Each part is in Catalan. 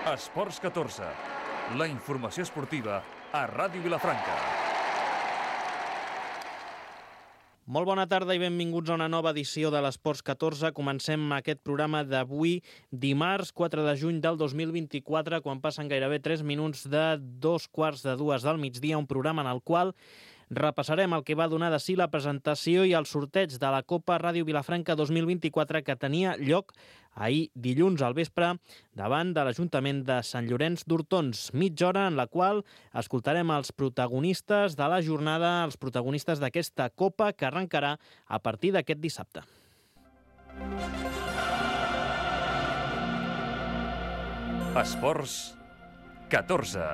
Esports 14, la informació esportiva a Ràdio Vilafranca. Molt bona tarda i benvinguts a una nova edició de l'Esports 14. Comencem aquest programa d'avui, dimarts 4 de juny del 2024, quan passen gairebé 3 minuts de 2:15 del migdia, un programa en el qual repassarem el que va donar de si la presentació i el sorteig de la Copa Ràdio Vilafranca 2024 que tenia lloc ahir dilluns al vespre davant de l'Ajuntament de Sant Llorenç d'Hortons. Mitja hora en la qual escoltarem els protagonistes de la jornada, els protagonistes d'aquesta Copa que arrencarà a partir d'aquest dissabte. Esports 14.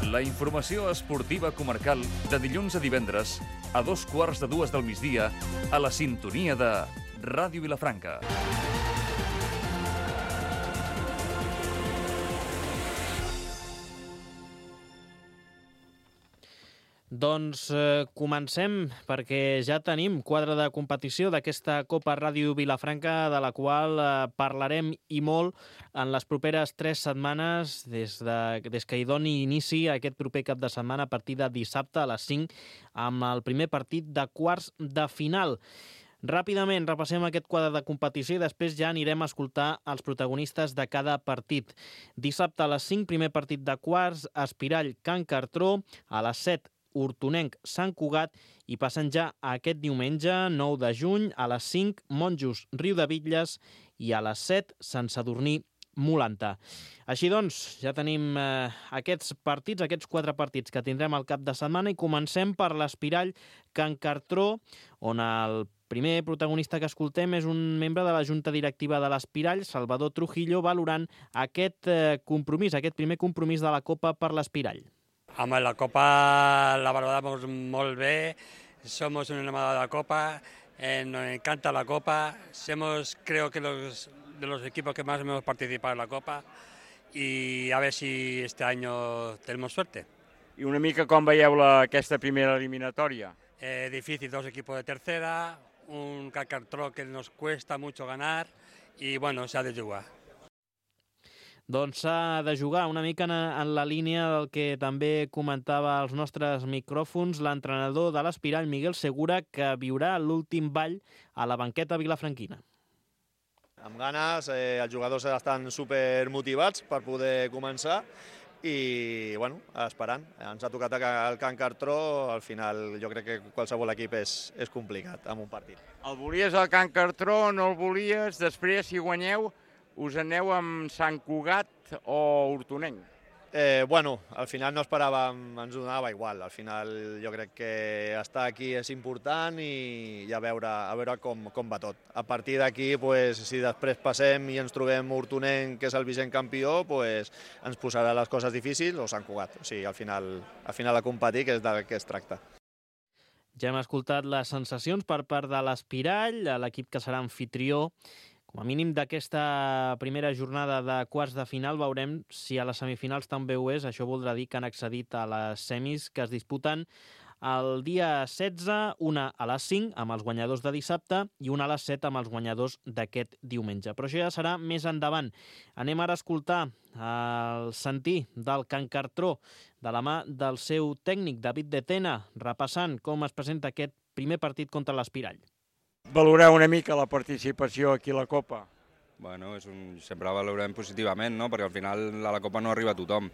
La informació esportiva comarcal de dilluns a divendres a 2:15 del migdia a la sintonia de Ràdio Vilafranca. Doncs comencem, perquè ja tenim quadre de competició d'aquesta Copa Ràdio Vilafranca, de la qual parlarem i molt en les properes 3 setmanes, des que hi doni inici a aquest proper cap de setmana a partir de dissabte a les 5, amb el primer partit de quarts de final. Ràpidament repassem aquest quadre de competició i després ja anirem a escoltar els protagonistes de cada partit. Dissabte a les 5, primer partit de quarts, Espirall Can Cartró, a les 7, Hortonenc Sant Cugat, i passant ja a aquest diumenge, 9 de juny, a les 5, Monjos Riudebitlles, i a les 7, Sant Sadurní Molanta. Així doncs, ja tenim aquests partits, aquests 4 partits que tindrem al cap de setmana, i comencem per l'Espirall Can Cartró, on el primer protagonista que escoltem és un membre de la Junta Directiva de l'Espirall, Salvador Trujillo, valorant aquest compromís, aquest primer compromís de la Copa per l'Espirall. Home, la Copa la valoramos muy bien, somos una enamorada de la Copa, nos encanta la Copa, somos creo que de los equipos que más hemos participado en la Copa y a ver si este año tenemos suerte. I una mica com veieu aquesta primera eliminatòria? Difícil, 2 equipos de tercera, un Can Cartró que nos cuesta mucho ganar y bueno, se ha de jugar. Doncs s'ha de jugar una mica en la línia del que també comentava als nostres micròfons l'entrenador de l'Espirall, Miguel Segura, que viurà l'últim ball a la banqueta vilafranquina. Amb ganes, els jugadors estan supermotivats per poder començar i, bueno, esperant. Ens ha tocat el Can Cartró, al final jo crec que qualsevol equip és complicat amb un partit. El volies al Can Cartró, no el volies, després si guanyeu us aneu amb Sant Cugat o Hortonenc? Bueno, al final no esperàvem, ens donava igual. Al final jo crec que estar aquí és important i a veure com va tot. A partir d'aquí, si després passem i ens trobem Hortonenc, que és el vigent campió, ens posarà les coses difícils, o Sant Cugat. O sigui, al final a competir, que és del que es tracta. Ja hem escoltat les sensacions per part de l'Espirall, l'equip que serà anfitrió. Com a mínim d'aquesta primera jornada de quarts de final veurem si a les semifinals també ho és. Això voldrà dir que han accedit a les semis que es disputen el dia 16, una a les 5 amb els guanyadors de dissabte i una a les 7 amb els guanyadors d'aquest diumenge. Però això ja serà més endavant. Anem ara a escoltar el sentir del Can Cartró de la mà del seu tècnic, David de Tena, repassant com es presenta aquest primer partit contra l'Espirall. Valoreu una mica la participació aquí a la Copa? Bueno, sempre valorem positivament, no? Perquè al final a la Copa no arriba a tothom.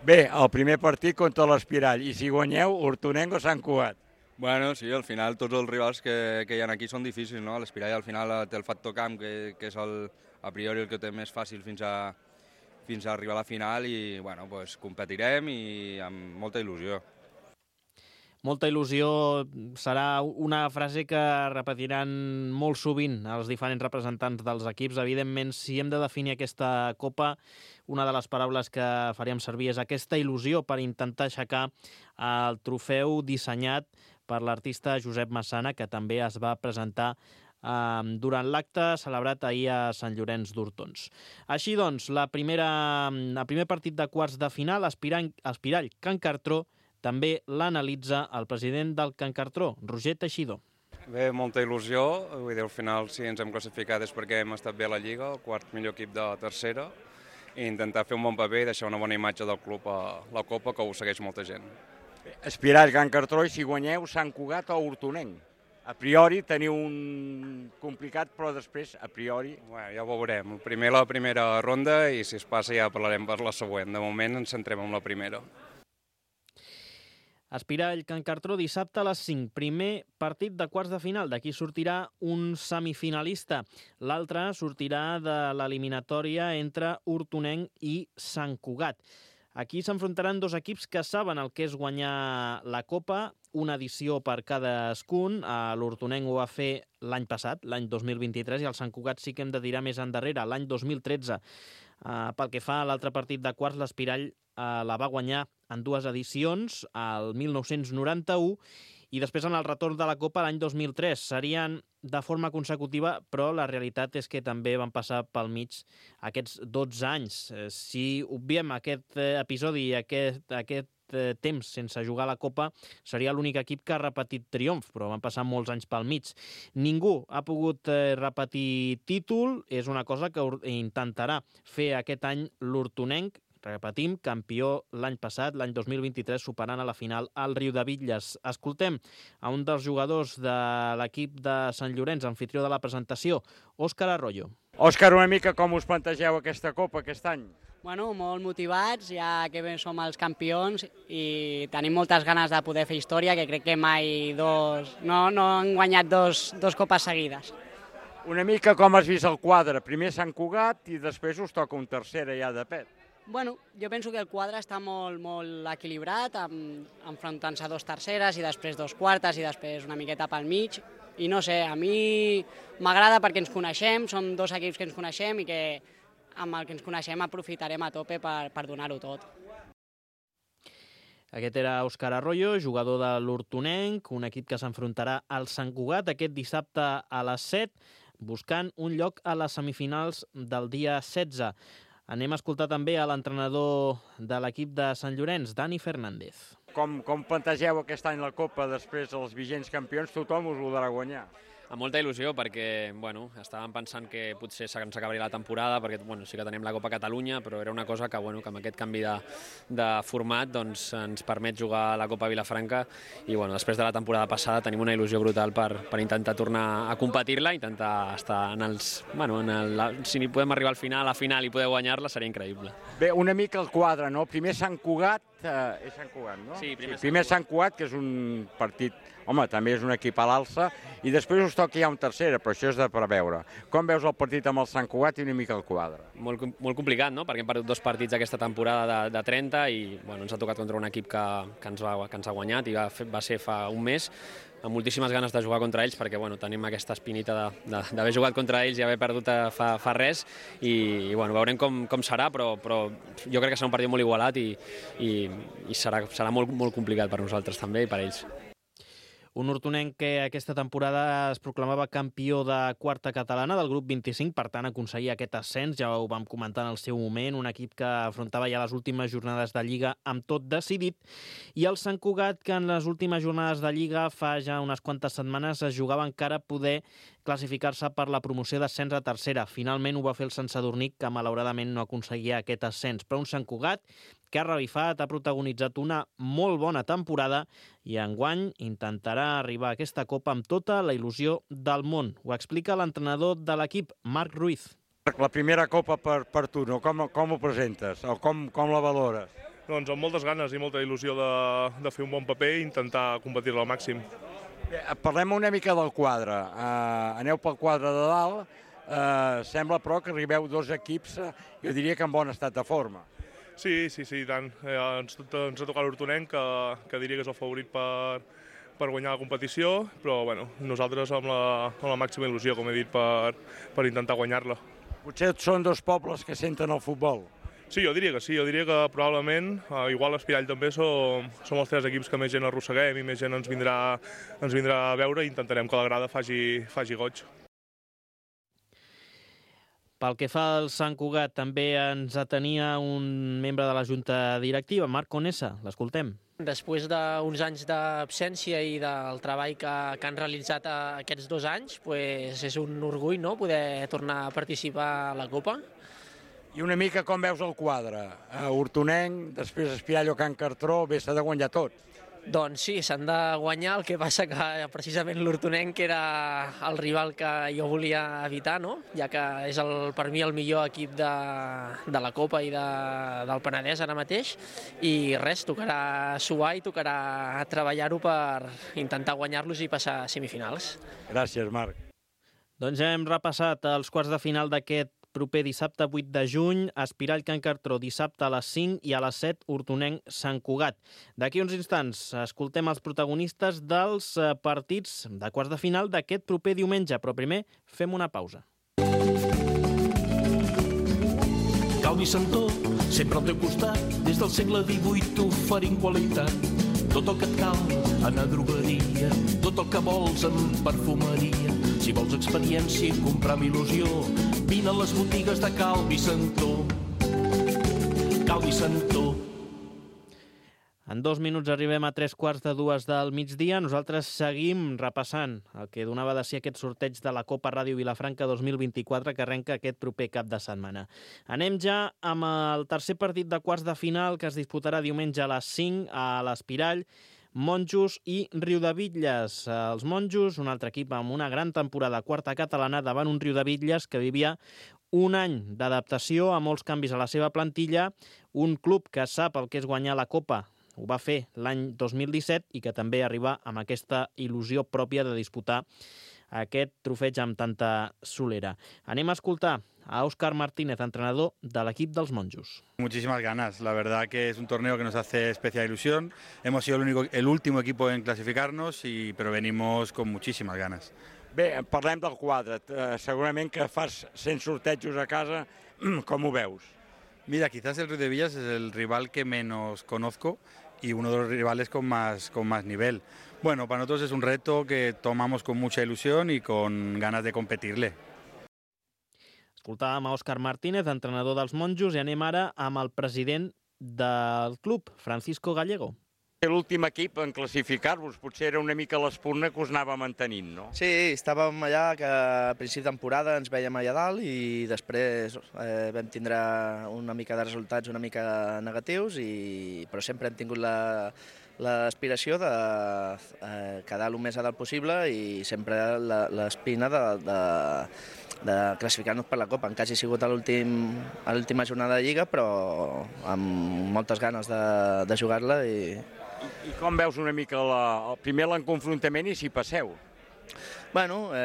Bé, el primer partit contra l'Espirall, i si guanyeu, Hortonenc o Sant Cugat? Bueno, sí, al final tots els rivals que hi ha aquí són difícils, no? L'Espirall al final té el factor camp, que és a priori el que té més fàcil fins a arribar a la final i, bueno, competirem i amb molta il·lusió. Molta il·lusió serà una frase que repetiran molt sovint els diferents representants dels equips. Evidentment, si hem de definir aquesta Copa, una de les paraules que faríem servir és aquesta il·lusió per intentar aixecar el trofeu dissenyat per l'artista Josep Massana, que també es va presentar durant l'acte celebrat ahir a Sant Llorenç d'Hortons. Així doncs, el primer partit de quarts de final, Espirall Can Cartró, també l'analitza el president del Can Cartró, Roger Teixidor. Bé, molta il·lusió, vull dir, al final si ens hem classificat és perquè hem estat bé a la Lliga, el quart millor equip de tercera, i intentar fer un bon paper i deixar una bona imatge del club a la Copa, que ho segueix molta gent. Aspirats Can Cartró i si guanyeu Sant Cugat o Hortonenc. A priori teniu un complicat, però després, a priori... Bueno, ja ho veurem. Primer la primera ronda i si es passa ja parlarem per la següent. De moment ens centrem en la primera. Espirall Can Cartró dissabte a les 5. Primer partit de quarts de final. D'aquí sortirà un semifinalista. L'altre sortirà de l'eliminatòria entre Hortonenc i Sant Cugat. Aquí s'enfrontaran dos equips que saben el que és guanyar la Copa, una edició per cadascun. L'Hortonenc ho va fer l'any passat, l'any 2023, i el Sant Cugat sí que hem de tirar més endarrere, l'any 2013. Pel que fa a l'altre partit de quarts, l'Espirall la va guanyar en dues edicions, el 1991, i després en el retorn de la Copa l'any 2003. Serien de forma consecutiva, però la realitat és que també van passar pel mig aquests 12 anys. Si obviem aquest episodi i aquest temps sense jugar a la Copa, seria l'únic equip que ha repetit triomf, però van passar molts anys pel mig. Ningú ha pogut repetir títol, és una cosa que intentarà fer aquest any l'Hortonenc. Repetim, campió l'any passat, l'any 2023, superant a la final al Riudebitlles. Escoltem a un dels jugadors de l'equip de Sant Llorenç, anfitrió de la presentació, Òscar Arroyo. Òscar, una mica com us plantegeu aquesta Copa aquest any? Bueno, molt motivats, ja que som els campions i tenim moltes ganes de poder fer història, que crec que mai no han guanyat dos copes seguides. Una mica com has vist el quadre, primer Sant Cugat i després us toca un tercera ja de pet. Bueno, jo penso que el quadre està molt equilibrat, enfrontant-se a dos terceres i després dos quartes i després una miqueta pel mig. I no sé, a mi m'agrada perquè ens coneixem, som dos equips que ens coneixem i que amb el que ens coneixem aprofitarem a tope per donar-ho tot. Aquest era Òscar Arroyo, jugador de l'Hortonenc, un equip que s'enfrontarà al Sant Cugat aquest dissabte a les 7, buscant un lloc a les semifinals del dia 16. Anem a escoltar també a l'entrenador de l'equip de Sant Llorenç, Dani Fernández. Com plantegeu aquest any la Copa després dels vigents campions? Tothom us voldrà guanyar. Amb molta il·lusió perquè estàvem pensant que potser ens acabaria la temporada perquè sí que tenim la Copa Catalunya, però era una cosa que amb aquest canvi de format ens permet jugar a la Copa Vilafranca i després de la temporada passada tenim una il·lusió brutal per intentar tornar a competir-la, intentar estar si podem arribar a la final i poder guanyar-la seria increïble. Bé, una mica el quadre, no? Primer Sant Cugat, és Sant Cugat, no? Sí, primer Sant Cugat, que és un partit, també és un equip a l'alça, i després us toca ja un tercera, però això és de preveure. Com veus el partit amb el Sant Cugat i una mica el quadre? Molt complicat, no? Perquè hem perdut 2 partits aquesta temporada de 30 i ens ha tocat contra un equip que ens ha guanyat i va ser fa un mes, amb moltíssimes ganes de jugar contra ells perquè tenim aquesta espinita d'haver jugat contra ells i haver perdut fa res i veurem com serà, però jo crec que serà un partit molt igualat i serà molt complicat per nosaltres també i per ells. Un Hortonenc que aquesta temporada es proclamava campió de quarta catalana del grup 25, per tant aconseguia aquest ascens, ja ho vam comentar en el seu moment, un equip que afrontava ja les últimes jornades de Lliga amb tot decidit, i el Sant Cugat que en les últimes jornades de Lliga fa ja unes quantes setmanes es jugava encara poder classificar-se per la promoció d'ascens a tercera. Finalment ho va fer el Sant Sadurní, que malauradament no aconseguia aquest ascens, però un Sant Cugat que ha revifat, ha protagonitzat una molt bona temporada i enguany intentarà arribar a aquesta Copa amb tota la il·lusió del món. Ho explica l'entrenador de l'equip, Marc Ruiz. La primera Copa per tu, no? Com ho presentes o com la valores? Doncs amb moltes ganes i molta il·lusió de fer un bon paper i intentar competir-la al màxim. Parlem una mica del quadre. Aneu pel quadre de dalt. Sembla, però, que arribeu 2 equips, jo diria que en bon estat de forma. Sí, i tant. Ens ha tocat l'Hortonenc, que diria que és el favorit per guanyar la competició, però nosaltres amb la màxima il·lusió, com he dit, per intentar guanyar-la. Potser són 2 pobles que senten el futbol. Sí, jo diria que sí. Jo diria que probablement, igual l'Espirall també, som els 3 equips que més gent arrosseguem i més gent ens vindrà a veure i intentarem que la grada faci goig. Pel que fa al Sant Cugat, també ens atenia un membre de la Junta Directiva, Marc Conesa. L'escoltem. Després d'uns anys d'absència i del treball que han realitzat aquests 2 anys, és un orgull, no?, poder tornar a participar a la Copa. I una mica com veus el quadre? Hortonenc, després Espirall o Can Cartró, bé, s'ha de guanyar tot. Doncs sí, s'han de guanyar, el que passa que precisament l'Hortonenc era el rival que jo volia evitar, no?, ja que és per mi el millor equip de la Copa i del Penedès ara mateix, i res, tocarà suar i tocarà treballar-ho per intentar guanyar-los i passar a semifinals. Gràcies, Marc. Doncs ja hem repassat els quarts de final d'aquest proper dissabte 8 de juny, Espirall Can Cartró dissabte a les 5 i a les 7 Hortonenc Sant Cugat. D'aquí uns instants escoltem els protagonistes dels partits de quarts de final d'aquest proper diumenge, però primer fem una pausa. Calvi Santó, sempre al teu costat, des del segle XVIII oferint qualitat. Tot el que et cal en la drogueria, tot el que vols en perfumeria. Si vols experiència i comprar amb il·lusió, vine a les botigues de Calvi Santó. Calvi Santó. En 2 minuts arribem a 3:15 del migdia. Nosaltres seguim repassant el que donava de si aquest sorteig de la Copa Ràdio Vilafranca 2024 que arrenca aquest proper cap de setmana. Anem ja amb el tercer partit de quarts de final que es disputarà diumenge a les 5 a l'Espirall. Monjos i Riudebitlles. Els Monjos, un altre equip amb una gran temporada quarta catalana davant un Riudebitlles que vivia un any d'adaptació a molts canvis a la seva plantilla, un club que sap el que és guanyar la Copa. Ho va fer l'any 2017 i que també arriba amb aquesta il·lusió pròpia de disputar aquest trofeig amb tanta solera. Anem a escoltar a Óscar Martínez, entrenador de l'equip dels Monjos. Muchísimas ganas, la verdad que es un torneo que nos hace especial ilusión. Hemos sido el último equipo en clasificarnos, pero venimos con muchísimas ganas. Bé, parlem del quadre. Segurament que fas 100 sortejos a casa, com ho veus? Mira, quizás el Riudebitlles es el rival que menos conozco y uno de los rivales con más nivel. Bueno, para nosotros es un reto que tomamos con mucha ilusión y con ganas de competirle. Escoltàvem a Óscar Martínez, entrenador dels Monjos, i anem ara amb el president del club, Francisco Gallego. L'últim equip en classificar-vos, potser era una mica l'espurna que us anava mantenint, no? Sí, estàvem allà, que a principi de temporada ens vèiem allà dalt i després vam tindre una mica de resultats una mica negatius, però sempre hem tingut l'aspiració de quedar el més a dalt possible i sempre l'espina de classificar-nos per la Copa. Encara hagi sigut a l'última jornada de Lliga, però amb moltes ganes de jugar-la. I com veus una mica primer l'enconfrontament i si passeu? Bueno,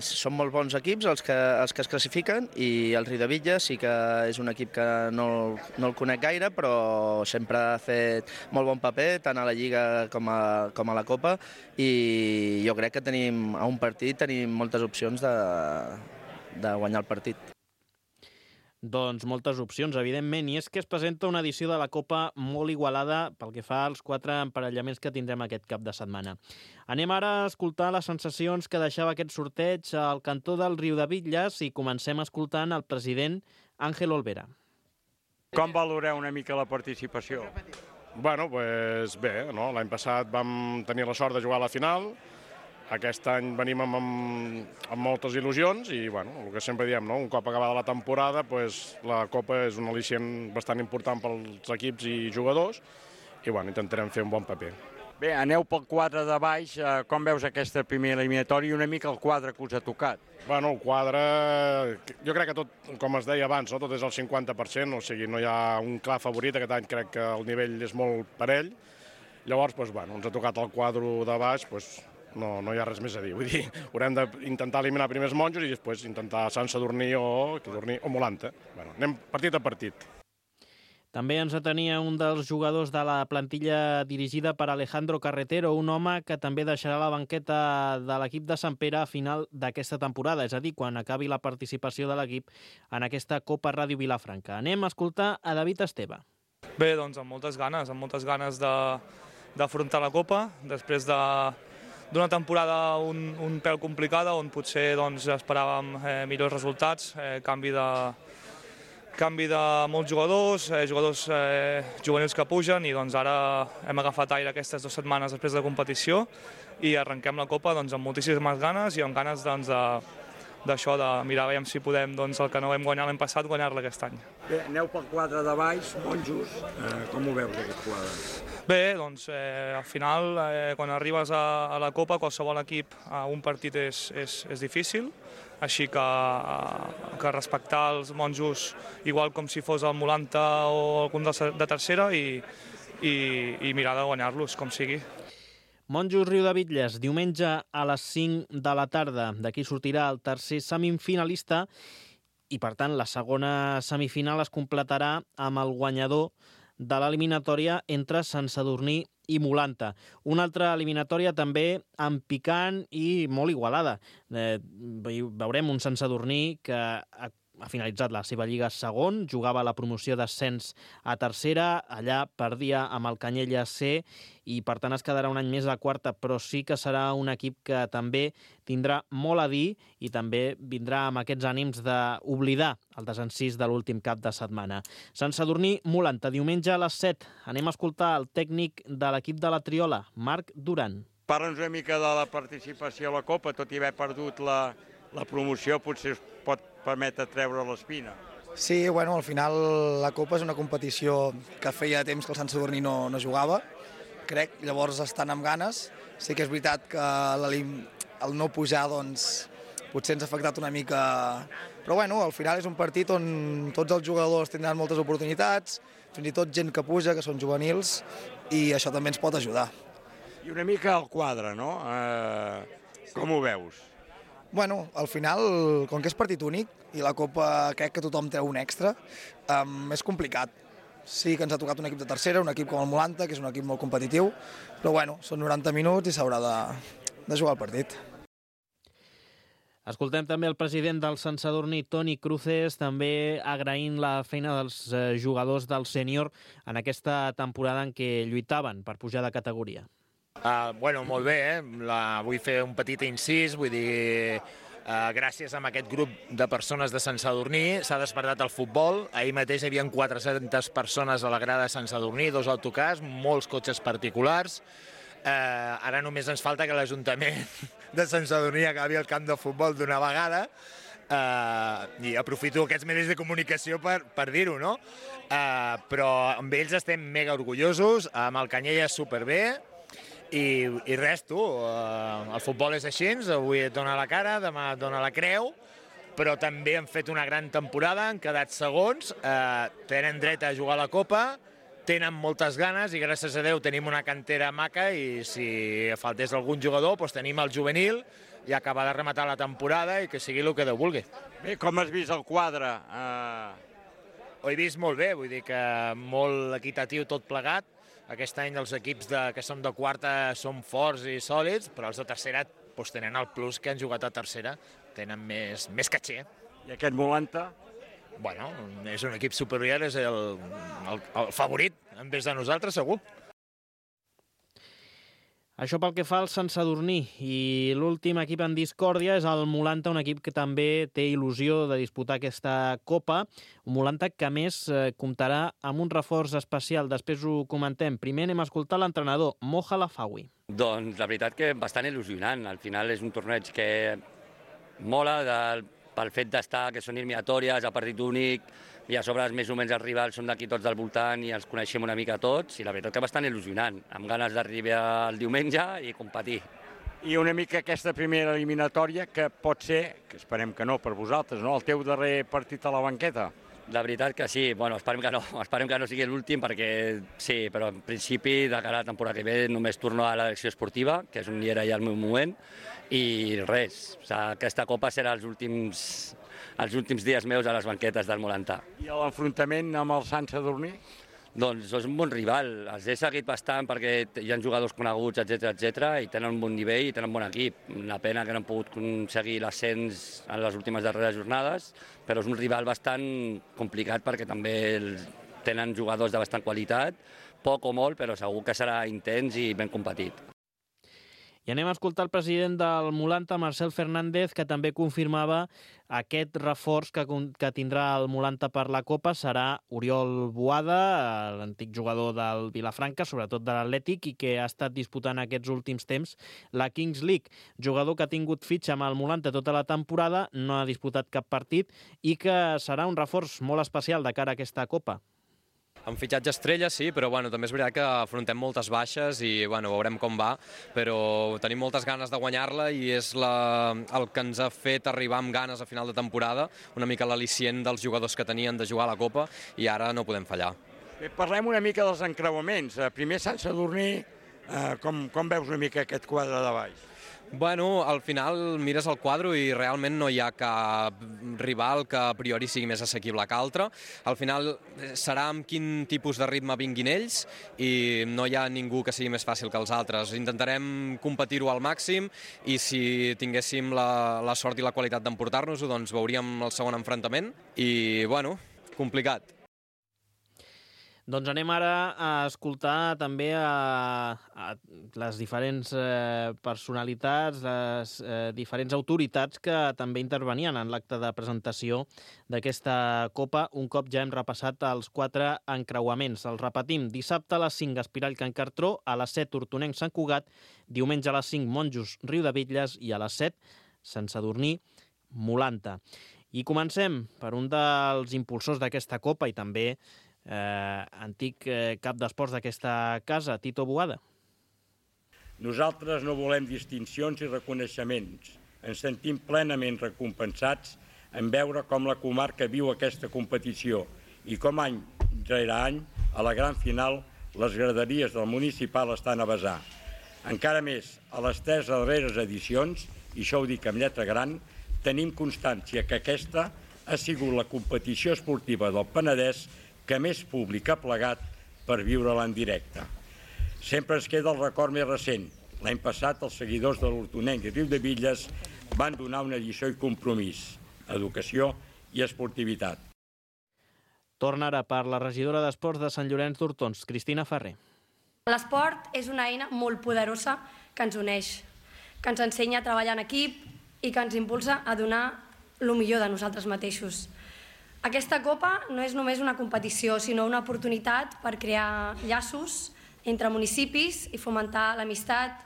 són molt bons equips els que es classifiquen i el Riudebitlles sí que és un equip que no el conec gaire, però sempre ha fet molt bon paper, tant a la Lliga com a la Copa, i jo crec que a un partit tenim moltes opcions de guanyar el partit. Doncs moltes opcions, evidentment, i és que es presenta una edició de la Copa molt igualada pel que fa als 4 emparellaments que tindrem aquest cap de setmana. Anem ara a escoltar les sensacions que deixava aquest sorteig al cantó del Riudebitlles i comencem escoltant el president Àngel Olvera. Com valoreu una mica la participació? Bueno, doncs bé, no? L'any passat vam tenir la sort de jugar a la final. Aquest any venim amb moltes il·lusions i, bueno, el que sempre diem, no? Un cop acabada la temporada, la Copa és un al·licient bastant important pels equips i jugadors i, bueno, intentarem fer un bon paper. Bé, aneu pel quadre de baix. Com veus aquesta primera eliminatòria i una mica el quadre que us ha tocat? Bueno, el quadre, jo crec que tot, com es deia abans, tot és el 50%, o sigui, no hi ha un clar favorit. Aquest any crec que el nivell és molt parell. Llavors, ens ha tocat el quadre de baix, no hi ha res més a dir. Vull dir, haurem d'intentar eliminar primer els Monjos i després intentar Sant Sadurní o Molanta. Anem partit a partit. També ens atenia un dels jugadors de la plantilla dirigida per Alejandro Carretero, un home que també deixarà la banqueta de l'equip de Sant Pere a final d'aquesta temporada, és a dir, quan acabi la participació de l'equip en aquesta Copa Ràdio Vilafranca. Anem a escoltar a David Esteve. Bé, doncs amb moltes ganes d'afrontar la Copa, després d'una temporada un pèl complicada, on potser esperàvem millors resultats, canvi de molts jugadors, jugadors juvenils que pugen, i ara hem agafat aire aquestes 2 setmanes després de competició i arrenquem la Copa amb moltíssimes ganes i amb ganes d'això, de mirar veiem si podem el que no vam guanyar l'any passat, guanyar-la aquest any. Bé, aneu pel quadre de baix, monjos, com ho veus aquest quadre? Bé, al final, quan arribes a la Copa, qualsevol equip a un partit és difícil, així que respectar els monjos igual com si fos el Molanta o algun de tercera i mirar de guanyar-los, com sigui. Monjos Riudebitlles, diumenge a les 5 de la tarda. D'aquí sortirà el tercer semifinalista i, per tant, la segona semifinal es completarà amb el guanyador de l'eliminatòria entre Sant Sadurní i Molanta. Una altra eliminatòria també amb picant i molt igualada. Veurem un Sant Sadurní que ha finalitzat la seva lliga segon, jugava la promoció d'ascens a tercera, allà perdia amb el Canyella C i per tant es quedarà un any més a quarta, però sí que serà un equip que també tindrà molt a dir i també vindrà amb aquests ànims d'oblidar el desencís de l'últim cap de setmana. Sant Sadurní, Molanta, diumenge a les 7. Anem a escoltar el tècnic de l'equip de la Triola, Marc Duran. Parla'ns una mica de la participació a la Copa, tot i haver perdut la promoció, potser us pot permetre treure l'espina. Sí, al final la Copa és una competició que feia temps que el Sant Sadurní no jugava, crec, llavors estan amb ganes. Sí que és veritat que el no pujar potser ens ha afectat una mica, però al final és un partit on tots els jugadors tindran moltes oportunitats, fins i tot gent que puja, que són juvenils, i això també ens pot ajudar. I una mica al quadre, no? Com ho veus? Al final, com que és partit únic i la Copa crec que tothom té un extra, és complicat. Sí que ens ha tocat un equip de tercera, un equip com el Molanta, que és un equip molt competitiu, però són 90 minuts i s'haurà de jugar el partit. Escoltem també el president del Sant Sadurní, Toni Cruces, també agraint la feina dels jugadors del sènior en aquesta temporada en què lluitaven per pujar de categoria. Molt bé, vull fer un petit incís, vull dir, gràcies a aquest grup de persones de Sant Sadurní s'ha despertat el futbol. Ahir mateix hi havia 400 persones a la grada de Sant Sadurní, 2 autocars, molts cotxes particulars. Ara només ens falta que l'Ajuntament de Sant Sadurní acabi el camp de futbol d'una vegada, i aprofito aquests medis de comunicació per dir-ho, no? Però amb ells estem mega orgullosos, amb el Canyella superbé, i res, el futbol és així, avui et dona la cara, demà et dona la creu, però també han fet una gran temporada, han quedat segons, tenen dret a jugar a la Copa, tenen moltes ganes i gràcies a Déu tenim una cantera maca i si faltés algun jugador tenim el juvenil i acabar de rematar la temporada i que sigui el que Déu vulgui. Bé, com has vist el quadre? Ho he vist molt bé, vull dir que molt equitatiu tot plegat. Aquest any els equips que són de quarta són forts i sòlids, però els de tercera tenen el plus que han jugat a tercera, tenen més caché. I aquest Molanta? És un equip superior, és el favorit, en vez de nosaltres, segur. Això pel que fa al Sant Sadurní, i l'últim equip en discòrdia és el Molanta, un equip que també té il·lusió de disputar aquesta Copa. Un Molanta que, a més, comptarà amb un reforç especial. Després ho comentem. Primer anem a escoltar l'entrenador, Moja Lafawi. Doncs la veritat que bastant il·lusionant. Al final és un torneig que mola pel fet d'estar, que són eliminatòries, a partit únic, i a sobre més o menys els rivals són d'aquí tots del voltant i els coneixem una mica tots, i la veritat que bastant il·lusionant, amb ganes d'arribar el diumenge i competir. I una mica aquesta primera eliminatòria que pot ser, que esperem que no per vosaltres, no? El teu darrer partit a la banqueta? La veritat que sí, esperem que no sigui l'últim perquè sí, però en principi de cara a la temporada que ve només torno a la direcció esportiva, que és on hi era ja el meu moment, i res, aquesta Copa serà els últims dies meus a les banquetes del Molanta. I l'enfrontament amb el Sant Sadurní? Doncs és un bon rival, els he seguit bastant perquè hi ha jugadors coneguts, etc, i tenen un bon nivell i tenen un bon equip. Una pena que no han pogut aconseguir l'ascens en les últimes darreres jornades, però és un rival bastant complicat perquè també tenen jugadors de bastant qualitat, poc o molt, però segur que serà intens i ben competit. I anem a escoltar el president del Molanta, Marcel Fernández, que també confirmava aquest reforç que tindrà el Molanta per la Copa. Serà Oriol Boada, l'antic jugador del Vilafranca, sobretot de l'Atlètic, i que ha estat disputant aquests últims temps la Kings League. Jugador que ha tingut fitxa amb el Molanta tota la temporada, no ha disputat cap partit i que serà un reforç molt especial de cara a aquesta Copa. Amb fitxatge estrella, sí, però també és veritat que afrontem moltes baixes i veurem com va, però tenim moltes ganes de guanyar-la i és el que ens ha fet arribar amb ganes a final de temporada, una mica l'al·licient dels jugadors que tenien de jugar a la Copa i ara no podem fallar. Parlem una mica dels encreuaments. Primer Sant Sadurní, com veus una mica aquest quadre de baix? Bueno, al final mires el quadre i realment no hi ha cap rival que a priori sigui més assequible que altre. Al final serà amb quin tipus de ritme vinguin ells i no hi ha ningú que sigui més fàcil que els altres. Intentarem competir-ho al màxim i si tinguéssim la sort i la qualitat d'emportar-nos-ho, doncs veuríem el segon enfrontament i, complicat. Doncs anem ara a escoltar també a les diferents personalitats, les diferents autoritats que també intervenien en l'acte de presentació d'aquesta Copa, un cop ja hem repassat els 4 encreuaments. Els repetim: dissabte a les 5 Espirall Can Cartró, a les 7 Hortonenc Sant Cugat, diumenge a les 5 Monjos Riu de Bitlles i a les 7 Sant Sadurní Molanta. I comencem per un dels impulsors d'aquesta Copa i també antic cap d'esports d'aquesta casa, Tito Boada. Nosaltres no volem distincions i reconeixements. Ens sentim plenament recompensats en veure com la comarca viu aquesta competició i com any rere any, a la gran final, les graderies del municipal estan a vessar. Encara més, a les 3 darreres edicions, i això ho dic amb lletra gran, tenim constància que aquesta ha sigut la competició esportiva del Penedès que més públic ha plegat per viure-la en directe. Sempre ens queda el record més recent. L'any passat els seguidors de l'Hortonenc i Riu de Bitlles van donar una lliçó i compromís, educació i esportivitat. Torna ara per la regidora d'Esports de Sant Llorenç d'Hortons, Cristina Ferrer. L'esport és una eina molt poderosa que ens uneix, que ens ensenya a treballar en equip i que ens impulsa a donar el millor de nosaltres mateixos. Aquesta Copa no és només una competició, sinó una oportunitat per crear llaços entre municipis i fomentar l'amistat,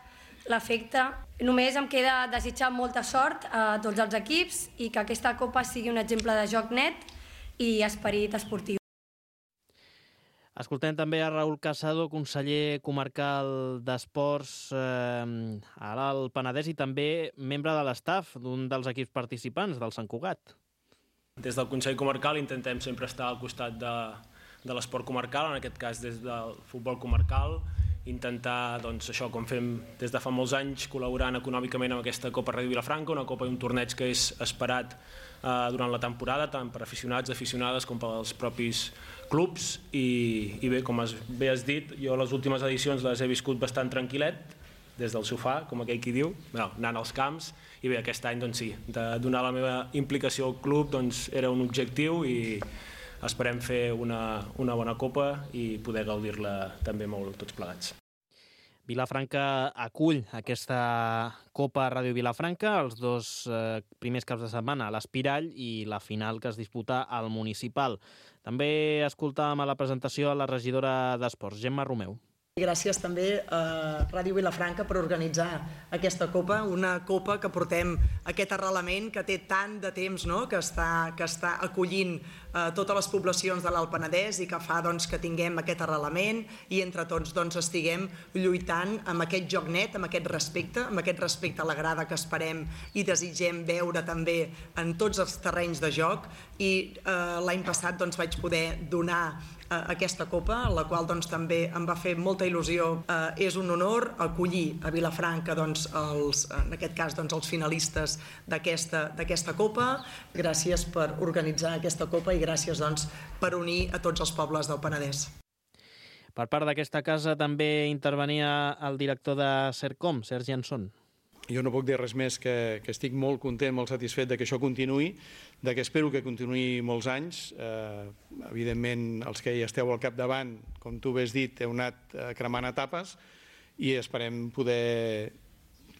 l'afecte. Només em queda desitjar molta sort a tots els equips i que aquesta Copa sigui un exemple de joc net i esperit esportiu. Escoltem també a Raül Casado, conseller comarcal d'Esports a l'Alt Penedès i també membre de l'estaf d'un dels equips participants, del Sant Cugat. Des del Consell Comarcal intentem sempre estar al costat de l'esport comarcal, en aquest cas des del futbol comarcal, intentar, doncs, això, com fem des de fa molts anys, col·laborant econòmicament amb aquesta Copa Ràdio Vilafranca, una copa i un torneig que és esperat durant la temporada, tant per aficionats, aficionades, com pels propis clubs. I bé, com bé has dit, jo les últimes edicions les he viscut bastant tranquil·let, des del sofà, com aquell qui diu, anant als camps, i bé, aquest any, doncs sí, de donar la meva implicació al club doncs era un objectiu i esperem fer una bona copa i poder gaudir-la també molt tots plegats. Vilafranca acull aquesta Copa Ràdio Vilafranca, els 2 primers caps de setmana a l'Espirall i la final que es disputa al Municipal. També escoltàvem a la presentació a la regidora d'Esports, Gemma Romeu. Gràcies també a Ràdio Vilafranca per organitzar aquesta Copa, una Copa que portem aquest arrelament que té tant de temps, que està acollint totes les poblacions de l'Alt Penedès i que fa que tinguem aquest arrelament i entre tots estiguem lluitant amb aquest joc net, amb aquest respecte a la grada que esperem i desitgem veure també en tots els terrenys de joc. I l'any passat vaig poder donar aquesta Copa, la qual també em va fer molta il·lusió. És un honor acollir a Vilafranca, en aquest cas, els finalistes d'aquesta Copa. Gràcies per organitzar aquesta Copa i gràcies per unir a tots els pobles del Penedès. Per part d'aquesta casa també intervenia el director de Sercom, Sergi Anson. Jo no puc dir res més que estic molt content, molt satisfet que això continuï, que espero que continuï molts anys. Evidentment, els que hi esteu al capdavant, com tu bé has dit, heu anat cremant etapes i esperem poder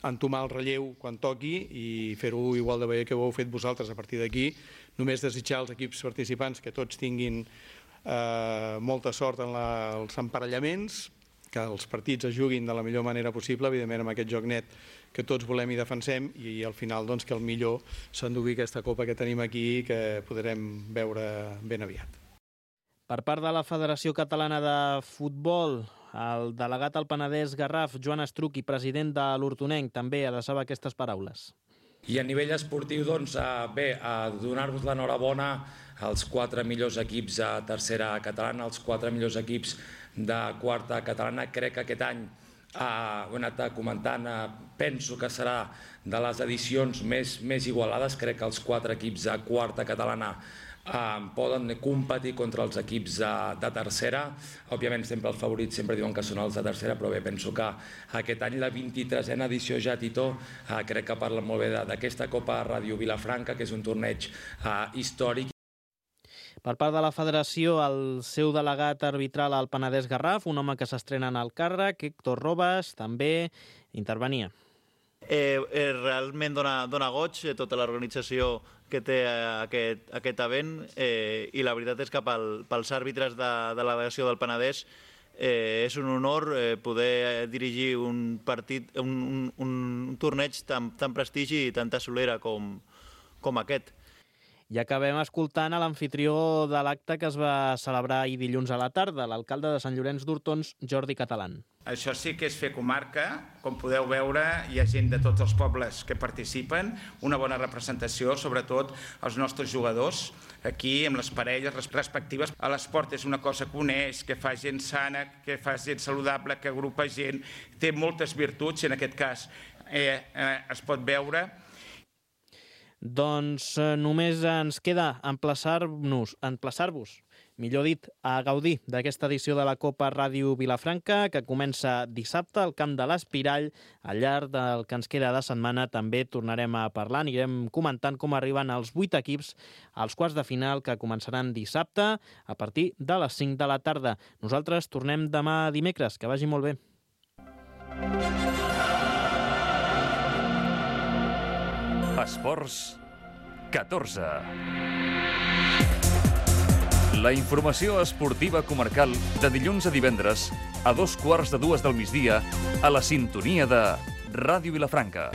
entomar el relleu quan toqui i fer-ho igual de bé que ho heu fet vosaltres. A partir d'aquí, només desitjar als equips participants que tots tinguin molta sort en els emparellaments, que els partits es juguin de la millor manera possible, evidentment amb aquest joc net que tots volem i defensem, i al final que el millor s'endugui aquesta copa que tenim aquí i que podrem veure ben aviat. Per part de la Federació Catalana de Futbol, el delegat al Penedès Garraf, Joan Estruch, i president de l'Hortonenc, també adreçava aquestes paraules. I a nivell esportiu, donar-vos l'enhorabona als 4 millors equips de tercera catalana, als 4 millors equips de quarta catalana. Crec que aquest any, ho he anat comentant, penso que serà de les edicions més igualades. Crec que els 4 equips de quarta catalana poden competir contra els equips de tercera. Òbviament sempre els favorits sempre diuen que són els de tercera, però bé, penso que aquest any la 23a edició ja, Tito, crec que parla molt bé d'aquesta Copa Ràdio Vilafranca, que és un torneig històric. Per part de la federació, el seu delegat arbitral al Penedès Garraf, un home que s'estrena en el càrrec, Héctor Robas, també intervenia. Realment dona goig tota l'organització que té aquest event, i la veritat és que pels àrbitres de la delegació del Penedès és un honor poder dirigir un partit, un torneig tan prestigi i tanta solera com aquest. I acabem escoltant a l'amfitrió de l'acte que es va celebrar ahir dilluns a la tarda, l'alcalde de Sant Llorenç d'Hortons, Jordi Catalán. Això sí que és fer comarca. Com podeu veure, hi ha gent de tots els pobles que participen, una bona representació, sobretot els nostres jugadors, aquí amb les parelles respectives. L'esport és una cosa que uneix, que fa gent sana, que fa gent saludable, que agrupa gent, té moltes virtuts, i en aquest cas es pot veure. Doncs només ens queda emplaçar-vos, millor dit, a gaudir d'aquesta edició de la Copa Ràdio Vilafranca, que comença dissabte al Camp de l'Espirall. Al llarg del que ens queda de setmana també tornarem a parlar, anirem comentant com arriben els 8 equips als quarts de final, que començaran dissabte a partir de les 5 de la tarda. Nosaltres tornem demà dimecres. Que vagi molt bé. Esports 14. La informació esportiva comarcal de dilluns a divendres a 2:15 del migdia a la sintonia de Ràdio Vilafranca.